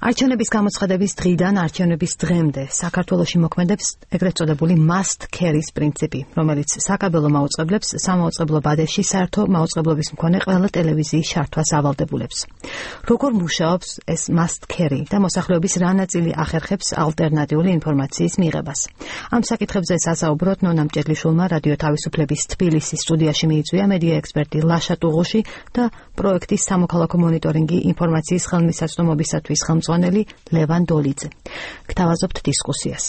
არჩევნების გამოცხადების დღიდან არჩევნების დღემდე საქართველოში მოქმედებს ეგრეთ წოდებული must carry-ს პრინციპი, რომელიც საკაბელო მაუწყებლებს სამაუწყებლო ბადეში საერთო მაუწყებლობის მქონე ყველა ტელევიზიის შართვას ავალდებულებს. როგორ მუშაობს ეს must carry და მოსახლეობის რა ნაწილი ახერხებს ალტერნატიული ინფორმაციის მიღებას? ამ საკითხებზე სასაუბროთ ნონა მჭედლიშვილმა რადიო თავისუფლების თბილისის სტუდიაში მიიწვია მედია ექსპერტი ლაშა ტუღუში და პროექტის სამოქალაქო მონიტორინგი ინფორმაციის ხელმისაწვდომობისათვის ხელმძღვანელი ლევან დოლიძე. გთავაზობთ დისკუსიას.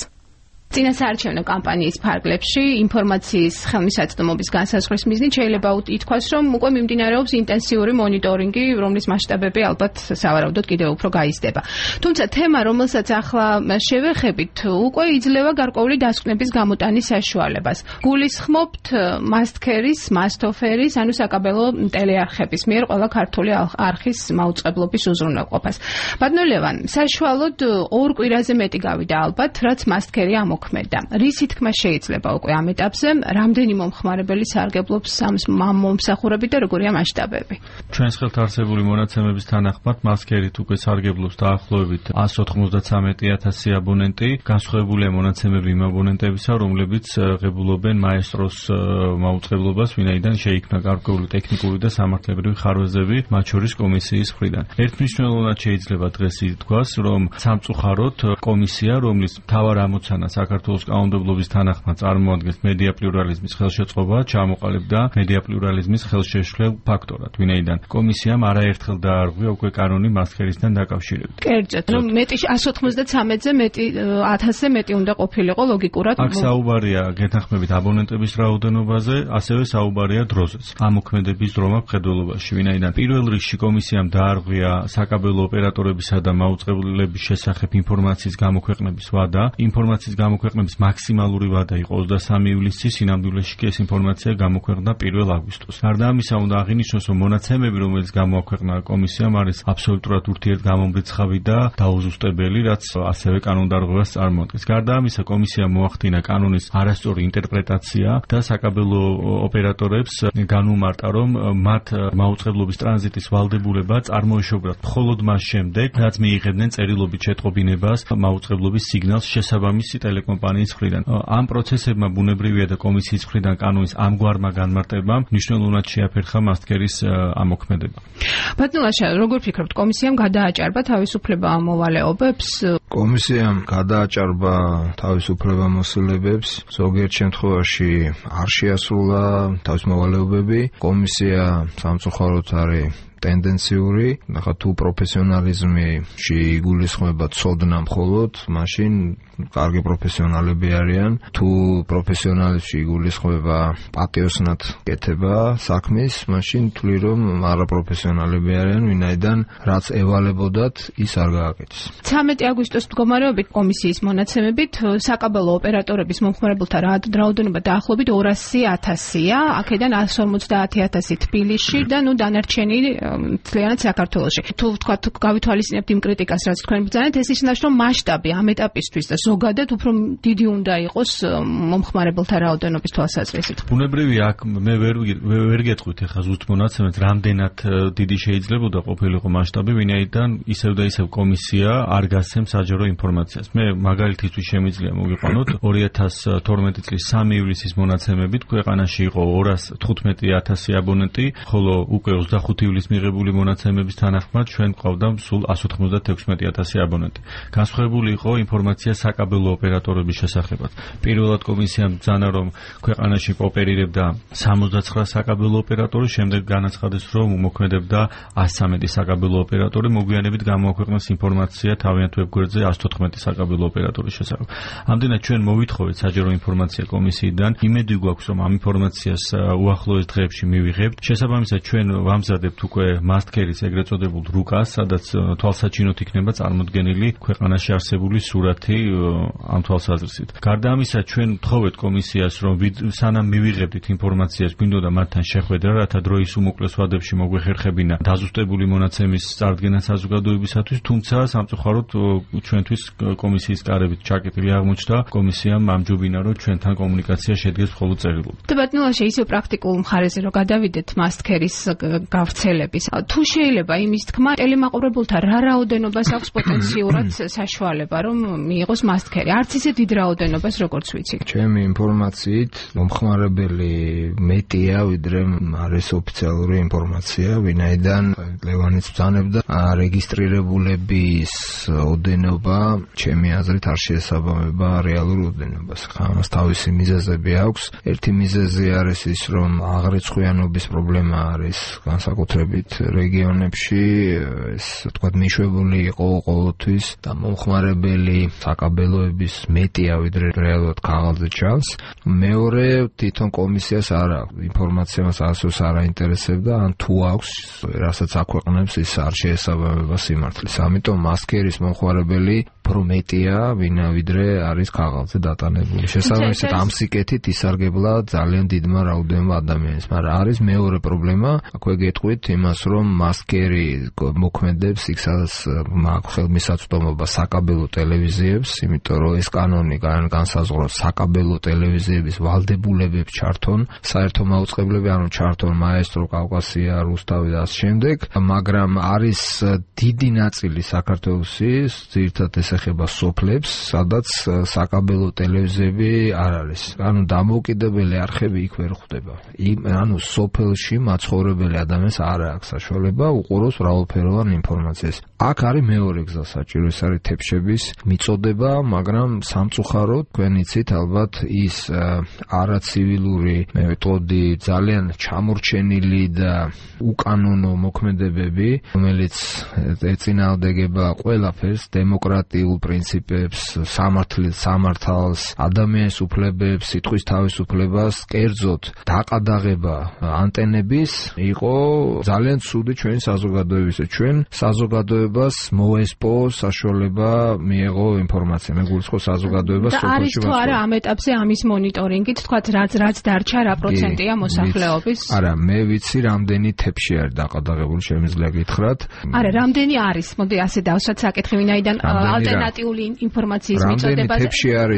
წინასაარჩევნო კამპანიის ფარგლებში ინფორმაციის ხელმისაწვდომობის განსაზღვრის მიზნით შეიძლება ითქვას, რომ უკვე მიმდინარეობს ინტენსიური მონიტორინგი, რომლის მასშტაბები ალბათ სავარაუდოდ კიდევ უფრო გაიზრდება. თუმცა თემა, რომელსაც ახლა შევეხებით, უკვე იძლევა გარკვეული დასკვნების გამოტანის საშუალებას. გულისხმობთ must carry-ს, must offer-ის, ანუ საკაბელო ტელეარხების მიერ ყველა ქართული არხის მაუწყებლობის უზრუნველყოფას. ბატონო ლევან, საშუალოდ 2 კვირაზე მეტი გავიდა ალბათ, რაც must carry რის თქმა შეიძლება უკვე ამ ეტაპზე, რამდენი მომხმარებელი სარგებლობს ამ მომსახურებით და როგორია მასშტაბები? ჩვენს ხელთ არსებული მონაცემების თანახმად must carry-თ უკვე სარგებლობს დაახლოებით 193,000 აბონენტი. განსხვავებულია მონაცემები იმ აბონენტებისა, რომლებიც ღებულობენ მაესტროს მაუწყებლობას, ვინაიდან შეიქმნა გარკვეული ტექნიკური და სამართლებრივი ხარვეზები, მათ შორის კომისიის მხრიდან. ერთმნიშვნელოვნად შეიძლება დღეს ითქვას, რომ სამწუხაროდ კომისია, რომლის მთავარ ამოცანას საქართველოს კანონმდებლობის თანახმად წარმოადგენს მედია პლურალიზმის ხელშეწყობა, ჩამოყალიბდა მედია პლურალიზმის ხელშეშლილ ფაქტორად, ვინაიდან კომისიამ არაერთხელ დაარღვია უკვე კანონი must carry-სთან დაკავშირებით. კერძოდ, რომ 193,000-ზე მეტი უნდა ყოფილიყო ლოგიკურად. აქ საუბარია გეთანხმებით აბონენტების რაოდენობაზე, ასევე საუბარია დროზეც. ამ მოქმედების დრომა მხედველობაში, ვინაიდან პირველ რიგში კომისიამ დაარღვია საკაბელო ოპერატორებისა და მაუწყებლების შესახებ ინფორმაციის გამოქვეყნების ვადა. ინფორმაციის გამოქვეყნების მაქსიმალური ვადა იყო 23 ივლისში, სინამდვილეში კი ეს ინფორმაცია გამოქვეყნდა 1 აგვისტოს. გარდა ამისა, უნდა აღინიშნოს, რომ მონაცემები, რომელიც გამოაქვეყნა კომისიამ, არის აბსოლუტურად ურთიერთგამომრიცხავი და დაუზუსტებელი, რაც ასევე კანონდარღვევას წარმოადგენს. გარდა ამისა, კომისიამ მოახდინა კანონის არასწორი ინტერპრეტაცია და საკაბელო ოპერატორებს განუმარტა, რომ მათ მაუწყებლობის ტრანზიტის ვალდებულება წარმოეშობათ მხოლოდ მას შემდეგ, რაც მიიღებდნენ წერილობით შეტყობინებას მაუწყებლობის სიგნალს შესაბამისი ტელეკომპანიის მხრიდან. ამ პროცესებმა ბუნებრივია და კომისიის მხრიდან კანონის ამგვარმა განმარტებამ მნიშვნელოვნად შეაფერხა must carry-ს ამოქმედება. ბატონო ლაშა, როგორ ფიქრობთ, კომისიამ გადააჭარბა თავისუფლება ამ მოვალეობებს? კომისიამ გადააჭარბა თავისუფლებამოსილებებს, ზოგიერთ შემთხვევაში არ შეასრულა თავის მოვალეობები. კომისია სამწუხაროდ არის ტენდენციური, ნახა თუ პროფესიონალიზმში იგულისხმება ცოდნა მხოლოდ, მაშინ კარგი პროფესიონალები არიან. თუ პროფესიონალიზმში იგულისხმება პატიოსნად კეთება საქმის, მაშინ თვლი რომ არაპროფესიონალები არიან, ვინაიდან რაც ევალებოდათ, ის არ გააკეთეს. 13 აგვისტოს მდგომარეობით კომისიის მონაცემებით საკაბელო ოპერატორების მომხმარებელთა რაოდენობა დაახლოებით 200,000-ია, აქედან 150,000 თბილისში და დანარჩენი მთლიანად საქართველოში. თუ ვთქვათ, გავითვალისწინებთ იმ კრიტიკას, რაც თქვენ ბრძანეთ, ეს ისნაშ რომ მასშტაბი ამ ეტაპისთვის და ზოგადად უფრო დიდი უნდა იყოს მომხმარებელთა რაოდენობის თვალსაზრისით. ბუნებრივია, აქ მე ვერ გეტყვით ახლა ზუსტ მონაცემებს, რამდენად დიდი შეიძლებოდა ყოფილიყო მასშტაბი, ვინაიდან ისევ და ისევ კომისია არ გასცემს საჯარო ინფორმაციას. მე მაგალითისთვის შემიძლია მოგიყვანოთ 2012 წლის 3 ივლისის მონაცემებით ქვეყანაში იყო 215,000 აბონენტი, ხოლო უკვე 25 ივლისს მიღებული მონაცემების თანახმად ჩვენ გვყავდა სულ 196,000 აბონენტი. განსხვავებული იყო ინფორმაცია საკაბელო ოპერატორების შესახებაც. პირველად კომისიამ ბრძანა, რომ ქვეყანაში ოპერირებდა 69 საკაბელო ოპერატორი, შემდეგ განაცხადეს, რომ მოქმედებდა 113 საკაბელო ოპერატორი, მოგვიანებით გამოაქვეყნეს ინფორმაცია თავიანთ ვებგვერდზე 114 საკაბელო ოპერატორის შესახებ. ამდენად ჩვენ მოვითხოვეთ საჯარო ინფორმაცია კომისიიდან. იმედი გვაქვს, რომ ამ ინფორმაციას უახლოეს დღეებში მივიღებთ. შესაბამისად ჩვენ ვამზადებთ უკვე must carry-ს ეგრეთ წოდებულ რუკას, სადაც თვალსაჩინოდ იქნება წარმოდგენილი ქვეყანაში არსებული სურათი ამ თვალსაზრისით. გარდა ამისა, ჩვენ ვთხოვეთ კომისიას, რომ სანამ მივიღებდით ინფორმაციას, გვინდოდა მათთან შეხვედრა, რათა დროის უმოკლეს ვადებში მოგვეხერხებინა დაზუსტებული მონაცემის წარდგენა საზოგადოებისათვის, თუმცა სამწუხაროდ ჩვენთვის კომისიის კარებით ჩაკეტილი აღმოჩნდა. კომისიამ ამჯობინა, რომ ჩვენთან კომუნიკაცია შედგეს მხოლოდ წერილობით. და ბატონო ლაშა, ისევ პრაქტიკულ მხარეზე რომ გადავიდეთ must carry-ს გავრცელების არის. თუ შეიძლება იმის თქმა, ტელემაყურებელთა რა რაოდენობას აქვს პოტენციურად საშუალება, რომ მიიღოს მასტქერი. არც ისე დიდ რაოდენობას, როგორც ვიცი. ჩემი ინფორმაციით, მომხმარებელი მეტია, ვიდრე არის ოფიციალური ინფორმაცია, ვინაიდან ლევანიც ბრძანებდა რეგისტრირებულების ოდენობა, ჩემი აზრით არ შეესაბამება რეალურ ოდენობას. ხა ამას თავისი მიზეზები აქვს. ერთი მიზეზი არის ის, რომ აღრიცხვიანობის პრობლემა არის განსაკუთრებით რეგიონებში, ეს თქვათ მიშვებული იყო ყოველთვის და მომხმარებელი საკაბელოების მეტია, ვიდრე რეალურად ქაღალდზე ჩანს. მეორე, თვითონ კომისიას არ აქვს ინფორმაცია, მას ასოს არ აინტერესებდა, ან თუ აქვს, რასაც აქვეყნებს, ის არ შეესაბამება სიმართლეს. ამიტომ მასკერის მომხმარებელი პრომეტია, ვიდრე არის ქაღალდზე დატანებული. შესაბამისად, ამ სიკეთით ისარგებლა ძალიან დიდმა რაოდენობამ ადამიანის. მაგრამ არის მეორე პრობლემა, აქვე გეტყვით იმას, რომ მასკერი მოქმედებს იქ, სადაც აქვს ხელმისაწვდომობა საკაბელო ტელევიზიებს, იმიტომ რომ ეს კანონი განსაზღვრავს საკაბელო ტელევიზიების ვალდებულებებს ჩართონ, საერთო მაუწყებლები, ანუ ჩართონ მაესტრო, კავკასია, რუსთავი და ამ შემდეგ, მაგრამ არის დიდი ნაწილი საქართველოსის, ძირითადად ეს ეხება სოფლებს, სადაც საკაბელო ტელევიზიები არ არის. ანუ დამოუკიდებელი არხები იქ ვერ ხვდება. ანუ სოფელში მაცხოვრებელი ადამიანს არ აქვს საშუალება უყუროს მრავალფეროვან ინფორმაციას. აქ არის მეორე გზა საჭირო, ეს არის თეფშების მიწოდება, მაგრამ სამწუხაროდ თქვენ იცით ალბათ ის არაცივილური მეთოდი, ძალიან ჩამორჩენილი და უკანონო მოქმედებები, რომელიც ეწინააღმდეგება ყველაფერს, დემოკრატიულ პრინციპებს, სამართალს, ადამიანის უფლებებს, სიტყვის თავისუფლებას, კერძოდ დაყადაღება ანტენების იყო ძალიან ცუდი ჩვენი საზოგადოებისა. ჩვენ საზოგადოებას მოესპო საშუალება მიეღო ინფორმაცია. მე გულისხმობ საზოგადოებას სოფელში. და არის თუ არა ამ ეტაპზე ამის მონიტორინგით, თქვათ რაც დარჩა, რა პროცენტია მოსახლეობის? არა, მე ვიცი რამდენი თეფში არის დაყადაღებული, შემიძლია გითხრათ. არა, რამდენი არის? მოდი ასე დავსვათ საკითხი, ვინაიდან ალტერნატიული ინფორმაციის მიწოდებაზე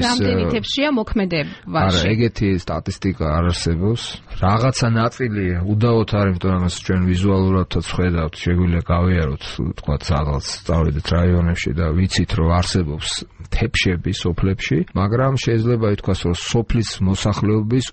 რამდენი თეფშია მოქმედებაში? არა, ეგეთი სტატისტიკა არ არსებობს. რაღაცა ნაწილი უდავოდ არის, იმიტომ რომ ჩვენ ვიზუალურადაც ხედავთ, შეგვიძლია გავიაროთ, თქვათ, რაღაც წავედით რაიონებში და ვიცით, რომ არსებობს თეფშები სოფლებში, მაგრამ შეიძლება ითქვას, რომ სოფლის მოსახლეობის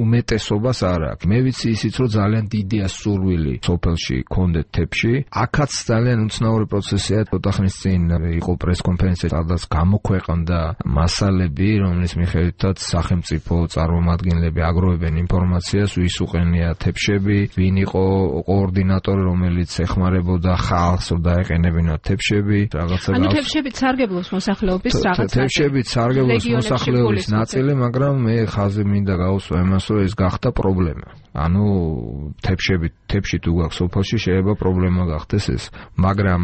უმეტესობას არ აქვს. მე ვიცი ისიც, რომ ძალიან დიდია სურვილი სოფელში კონდეთ თეფში. აქაც ძალიან უცნაური პროცესია. ცოტა ხნის წინ იყო პრესკონფერენცია, სადაც გამოქვეყნდა მასალები, რომლის მიხედვითაც სახელმწიფო წარმომადგენლები აგროვებენ ინფორმაციას, ვის უყენია თეფშები, ვინ იყო კოორდინატორი, რომელიც ეხმარებოდა ხალხს, რომ დაეყენებინათ თეფშები, რაღაცა. ანუ თეფშებით სარგებლობს მოსახლეობის რაღაცა. თეფშებით სარგებლობს მოსახლეობის ნაწილი, მაგრამ მე ხაზი მინდა გავუსვა იმას, რომ ეს გახდა პრობლემა. ანუ თეფში თუ გაქვს სოფელში შეიძლება პრობლემა გახდეს ეს, მაგრამ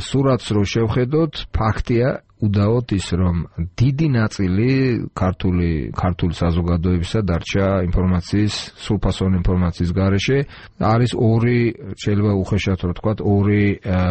სურათს რო შევხედოთ, ფაქტია უდაოდ ის, რომ დიდი ნაწილი ქართული საზოგადოებისა დარჩა ინფორმაციის, სრულფასოვანი ინფორმაციის გარეშე. არის ორი, შეიძლება უხეშად რო თქვათ, ორი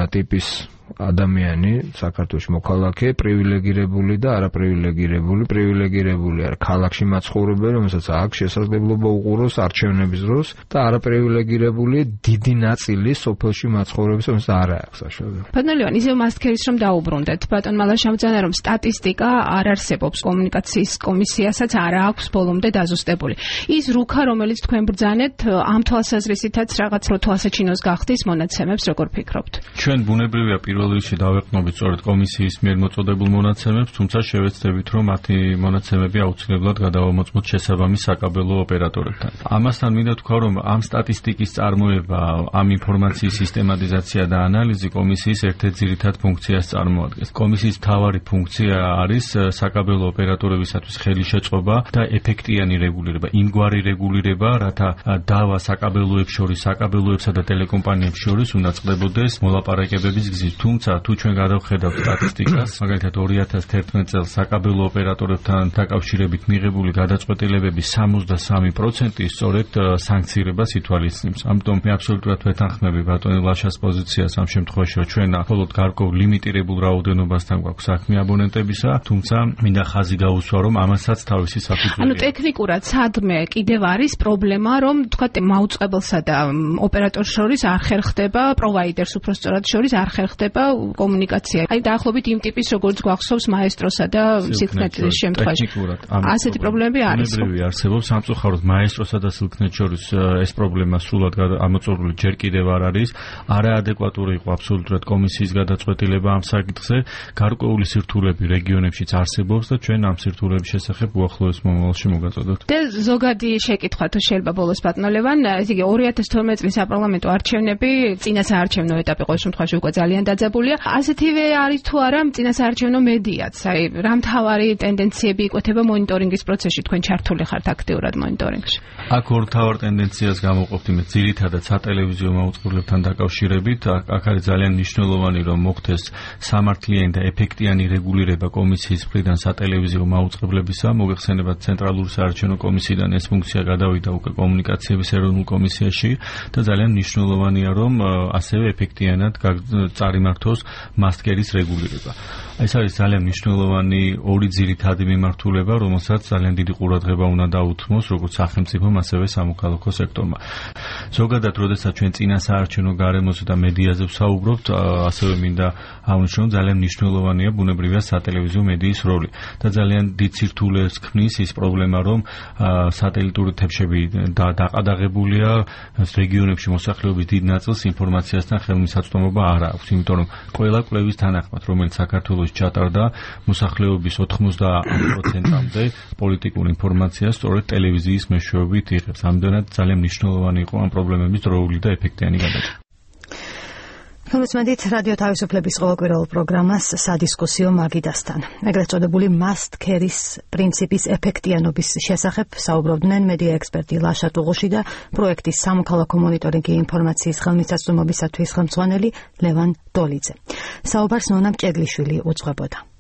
ტიპის ადამიანი საქართველოში მოქალაქე, პრივილეგირებული და არაპრივილეგირებული. პრივილეგირებული არის ქალაქში მაცხოვრებელი, რომელსაც აქვს შესაძლებლობა უყუროს არჩევნების დროს და არაპრივილეგირებული დიდი ნაწილი სოფელში მაცხოვრებლის, რომელსაც არ აქვს საშუალება. ბატონ ლევან, ისევ მასტქერის რომ დაუბრუნდეთ, ბატონ მალაშამძანა, რომ სტატისტიკა არ არსებობს, კომუნიკაციის კომისიასაც არ აქვს ბოლომდე დაზუსტებული. ის რუქა, რომელიც თქვენ ბრძანეთ, ამ თვალსაზრისითაც რაღაც რო თვალსაჩინოს გახდის მონაცემებს, როგორ ფიქრობთ? ჩვენ ბუნებრივია პირველ რიგში დავეყნობით სწორედ კომისიის მიერ მოწოდებულ მონაცემებს, თუმცა შევეცდებით, რომ მათი მონაცემები აუცილებლად გადავამოწმოთ შესაბამის საკაბელო ოპერატორებთან. ამასთან მინდა თქვა, რომ ამ სტატისტიკის წარმოება, ამ ინფორმაციის სისტემატიზაცია და ანალიზი კომისიის ერთ-ერთ ძირითად ფუნქციას წარმოადგენს. კომისიის მთავარი ფუნქცია არის საკაბელო ოპერატორებისათვის ხელი შეწყობა და ეფექტიანი რეგულირება, იმგვარი რეგულირება, რათა დავა საკაბელოებს შორის, საკაბელოებსა და ტელეკომპანიებს შორის უნდა წყდებოდეს მოლაპარაკებების გზით. თუ თუმცა თუ ჩვენ გადავხედავთ სტატისტიკას, მაგალითად 2011 წელს საკაბელო ოპერატორებთან დაკავშირებით მიღებული გადაწყვეტილებების 63% სწორედ სანქცირებას ითვალისწინებს. ამიტომ მე აბსოლუტურად ვეთანხმები ბატონი ლაშას პოზიციას ამ შემთხვევაში, რომ ჩვენ მხოლოდ გარკვეულ ლიმიტირებულ რაოდენობასთან გვაქვს საქმე აბონენტებისა, თუმცა მინდა ხაზი გაუსვა, რომ ამასაც თავისი საფუძველი. ანუ ტექნიკურად სადმე კიდევ არის პრობლემა, რომ თქვათ მაუწყებელსა და ოპერატორს შორის არ ხერხდება, პროვაიდერს უბრალოდ შორის არ ხერხდება კომუნიკაცია. აი დაახლოებით იმ ტიპის როგორც გვახსოვს მაესტროსა და სილკნეტის შემთხვევაში. ასეთი პრობლემები არის. უნებრივი არსებობს, სამწუხაროდ მაესტროსა და სილკნეტ შორის ეს პრობლემა სრულად ამოწურული ჯერ კიდევ არ არის. არაადეკვატური იყო აბსოლუტურად კომისიის გადაწყვეტილება ამ საკითხზე. გარკვეული სირთულეები რეგიონებშიც არსებობს და ჩვენ ამ სირთულეების შესახებ უახლოეს მომავალში მოგაწოდოთ. და ზოგადი შეკითხვა თუ შეიძლება ბოლოს ბატონო ლევან, ესე იგი 2012 წლის საპარლამენტო არჩევნები წინასაარჩევნო ეტაპი ყოველ შემთხვევაში უკვე ძალიან დაძაბულია. ასეთივე არის თუ არა წინასაარჩევნო მედიაც? აი რა მთავარი ტენდენციები იკვეთება მონიტორინგის პროცესში? თქვენ ჩართული ხართ აქტიურად მონიტორინგში? აქ ორ მთავარ ტენდენციას გამოვყოფთ იმედ ძირითადად სატელევიზიო მაუწყებლებთან დაკავშირებით. აქ არის ძალიან მნიშვნელოვანი რომ მოხდეს სამართლიანი და ეფექტიანი რეგულირება კომისიის მხრიდან სატელევიზიო მაუწყებლებისა. მოგეხსენებათ ცენტრალური საარჩევნო კომისიიდან ეს ფუნქცია გადავიდა უკვე კომუნიკაციების ეროვნულ კომისიაში და ძალიან მნიშვნელოვანია რომ ასევე ეფექტიანად წარიმართოს მასტკერის რეგულირება. ეს არის ძალიან მნიშვნელოვანი ორი ძირითადი მიმართულება, რომელსაც ძალიან დიდი ყურადღება უნდა დაუთმოს როგორც სახელმწიფომ, ასევე სამოქალაქო სექტორმა. ზოგადად, როდესაც ჩვენ წინასაარჩევნო გარემოზე და მედიაზე ვსაუბრობთ, ასევე მინდა აღნიშნო, ძალიან მნიშვნელოვანია ბუნებრივია სატელევიზიო მედიის როლი და ძალიან დიდ სირთულეს ქმნის ის პრობლემა, რომ სატელიტური თებშები დაყადაღებულია, რეგიონებში მოსახლეობის დიდ ნაწილს ინფორმაციასთან ხელმისაწვდომობა არ აქვს, იმიტომ რომ ყველა კვლევის თანახმად, რომელიც საქართველოში ჩატარდა, მოსახლეობის 80%-მდე პოლიტიკურ ინფორმაციას სწორედ ტელევიზიის მეშვეობით იღებს. ამდენად ძალიან მნიშვნელოვანი იყო ამ პრობლემების დროული და ეფექტიანი გადაჭრა. მოგესმენთ რადიო თავისუფლების ყოველკვირეულ პროგრამას სადისკუსიო მაგიდასთან. ეგრეთ წოდებული must carry-ის პრინციპის ეფექტიანობის შესახებ საუბრობდნენ მედია ექსპერტი ლაშა ტუღუში და პროექტის სამოქალაქო მონიტორინგი ინფორმაციის ხელმისაწვდომობისათვის ხელმძღვანელი ლევან დოლიძე. საუბარს ნონა მჭედლიშვილი უძღვებოდა.